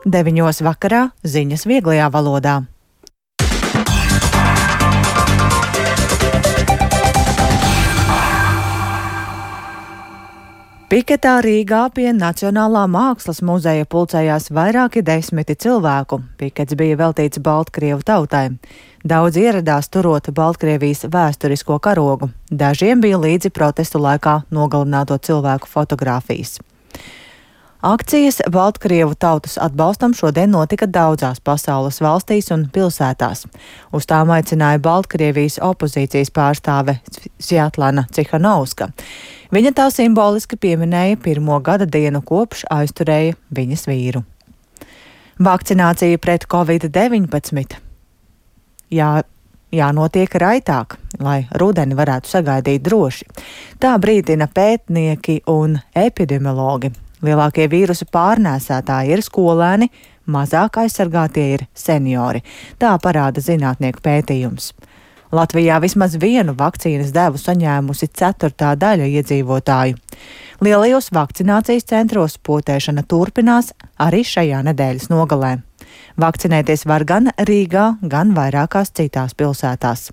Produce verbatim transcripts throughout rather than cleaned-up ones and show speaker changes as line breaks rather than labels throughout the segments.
Deviņos vakarā ziņas vieglajā valodā. Piketā Rīgā pie Nacionālā mākslas muzeja pulcējās vairāki desmiti cilvēku. Pikets bija veltīts Baltkrievu tautai. Daudz ieradās turot Baltkrievijas vēsturisko karogu. Dažiem bija līdzi protestu laikā nogalināto cilvēku fotogrāfijas. Akcijas Baltkrievu tautas atbalstam šodien notika daudzās pasaules valstīs un pilsētās. Uz tām aicināja Baltkrievijas opozīcijas pārstāve Svjatlana Cihanovska. Viņa tā simboliski pieminēja pirmo gada dienu, kopš aizturēja viņas vīru. Vakcinācija pret covid deviņpadsmit. Jā, jānotiek raitāk, lai rudeni varētu sagaidīt droši. Tā brīdina pētnieki un epidemiologi. Lielākie vīrusu pārnēsātāji ir skolēni, mazāk aizsargātie ir seniori. Tā parāda zinātnieku pētījums. Latvijā vismaz vienu vakcīnas devu saņēmusi ceturtā daļa iedzīvotāju. Lielajos vakcinācijas centros potēšana turpinās arī šajā nedēļas nogalē. Vakcinēties var gan Rīgā, gan vairākās citās pilsētās.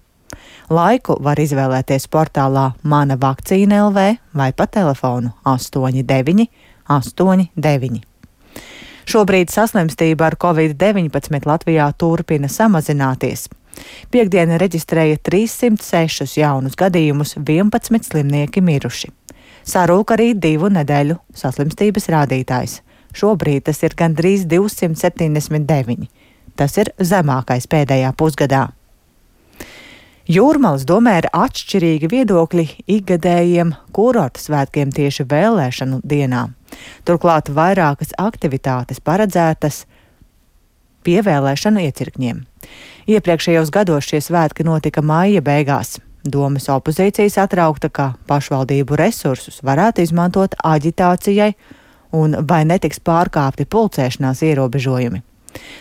Laiku var izvēlēties portālā Mana vakcīna L V vai pa telefonu astoņi deviņi astoņi deviņi. Šobrīd saslimstība ar covid deviņpadsmit Latvijā turpina samazināties. Piektdiena reģistrēja trīssimt sešus jaunus gadījumus, vienpadsmit slimnieki miruši. Sarūk arī divu nedēļu saslimstības rādītājs. Šobrīd tas ir gandrīz divsimt septiņdesmit deviņi. Tas ir zemākais pēdējā pusgadā. Jūrmalas domē ir atšķirīgi viedokļi ikgadējiem kurorta svētkiem tieši vēlēšanu dienā. Turklāt vairākas aktivitātes paredzētas pievēlēšanu iecirkņiem. Iepriekšējos gados šie svētki notika maija beigās. Domes opozīcija satraukta, ka pašvaldību resursus varētu izmantot aģitācijai un vai netiks pārkāpti pulcēšanās ierobežojumi.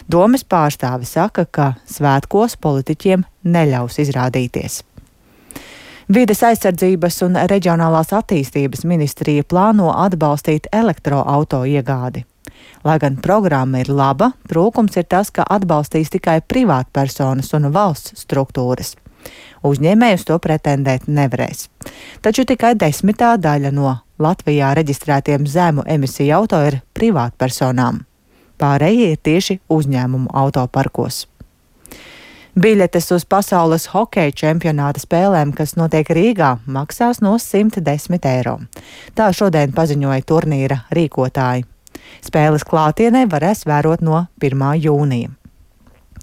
Domes pārstāve saka, ka svētkos politiķiem neļaus izrādīties. Vides aizsardzības un reģionālās attīstības ministrija plāno atbalstīt elektroauto iegādi. Lai gan programma ir laba, trūkums ir tas, ka atbalstīs tikai privātpersonas un valsts struktūras. Uzņēmējus to pretendēt nevarēs. Taču tikai desmitā daļa no Latvijā reģistrētiem zemu emisiju auto ir privātpersonām. Pārējie ir tieši uzņēmumu autoparkos. Biļetes uz pasaules hokeja čempionāta spēlēm, kas notiek Rīgā, maksās no simt desmit eiro. Tā šodien paziņoja turnīra rīkotāji. Spēles klātienē varēs vērot no pirmā jūnija.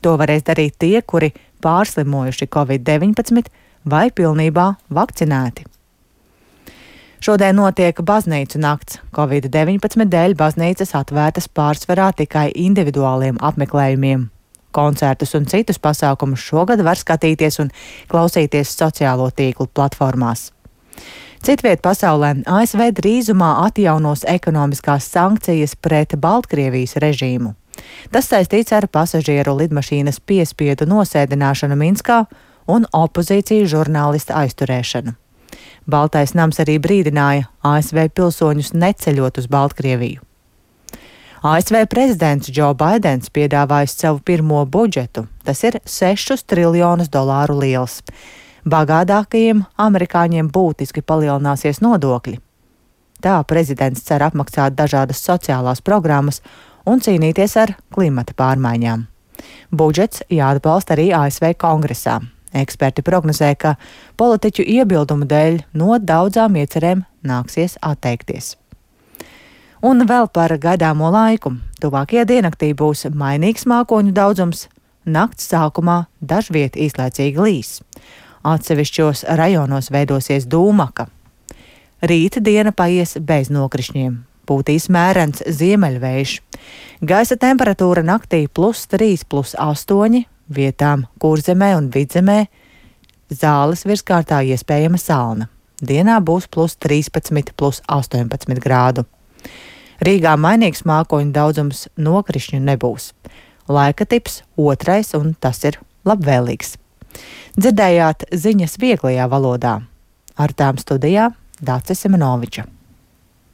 To varēs darīt tie, kuri pārslimojuši covid deviņpadsmit vai pilnībā vakcinēti. Šodien notiek baznīcu nakts. covid deviņpadsmit dēļ baznīcas atvērtas pārsvarā tikai individuāliem apmeklējumiem. Koncertus un citus pasākumus šogad var skatīties un klausīties sociālo tīklu platformās. Citviet pasaulē A S V drīzumā atjaunos ekonomiskās sankcijas pret Baltkrievijas režīmu. Tas saistīts ar pasažieru lidmašīnas piespiedu nosēdināšanu Minskā un opozīcijas žurnālista aizturēšanu. Baltais nams arī brīdināja A S V pilsoņus neceļot uz Baltkrieviju. A S V prezidents Džo Baidens piedāvājis savu pirmo budžetu. Tas ir sešus triljonus dolāru liels. Bagātākajiem amerikāņiem būtiski palielināsies nodokļi. Tā prezidents cer apmaksāt dažādas sociālās programmas un cīnīties ar klimata pārmaiņām. Budžets jāatbalsta arī A S V kongresā. Eksperti prognozē, ka politiķu iebildumu dēļ no daudzām iecerēm nāksies atteikties. Un vēl par gaidāmo laiku. Tuvākajā diennaktī būs mainīgs mākoņu daudzums, nakts sākumā dažviet īslaicīgi līs. Atsevišķos rajonos veidosies dūmaka. Rīta diena paies bez nokrišņiem. Būtīs mērens ziemeļvējš. Gaisa temperatūra naktī plus trīs, plus astoņi, vietām Kurzemē un Vidzemē Zāles virskārtā iespējama salna. Dienā būs plus trīspadsmit, plus astoņpadsmit grādu. Rīgā mainīgs mākoņu daudzums, nokrišņu nebūs. Laika tips otrais, un tas ir labvēlīgs. Dzirdējāt ziņas vieglajā valodā. Ar tām studijā Dācis Simenoviča.